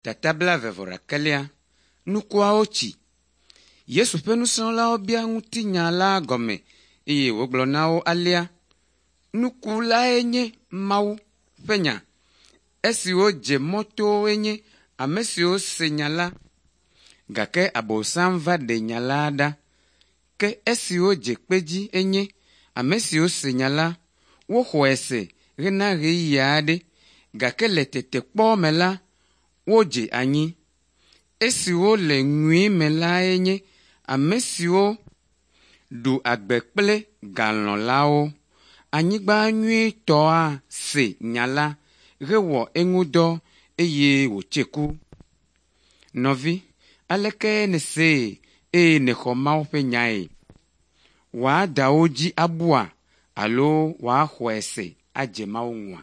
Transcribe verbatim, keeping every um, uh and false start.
Tata blaeve vɔ ɖekɛlia, nukuawo tsi. Yesu ƒe nusrɔ̃lawo bia ŋutinya la gɔme eye wògblɔ na wo alea: Nuku lae nye Mawu ƒe nya. Esiwo dze mɔtowoe nye ame siwo se nya la, gake Abosam va ɖe nya la ɖa. Ke esiwo dze kpe dzi enye ame siwo se nya la, woxɔe se hena ɣeyiɣi aɖe, gake le tetekpɔ me la, wodze anyi. Esiwo le nyui me lae nye ame siwo ɖu agbe kple galɔ̃lawo. Anyigba nyuitɔa se nya la hewɔ eŋudɔ eye wòtse ku. Nɔvi, aleke nèsee eye nèxɔ Mawu ƒe nyae? Wòada wo dzi abua alo wòaxɔe se adze Mawu ŋua?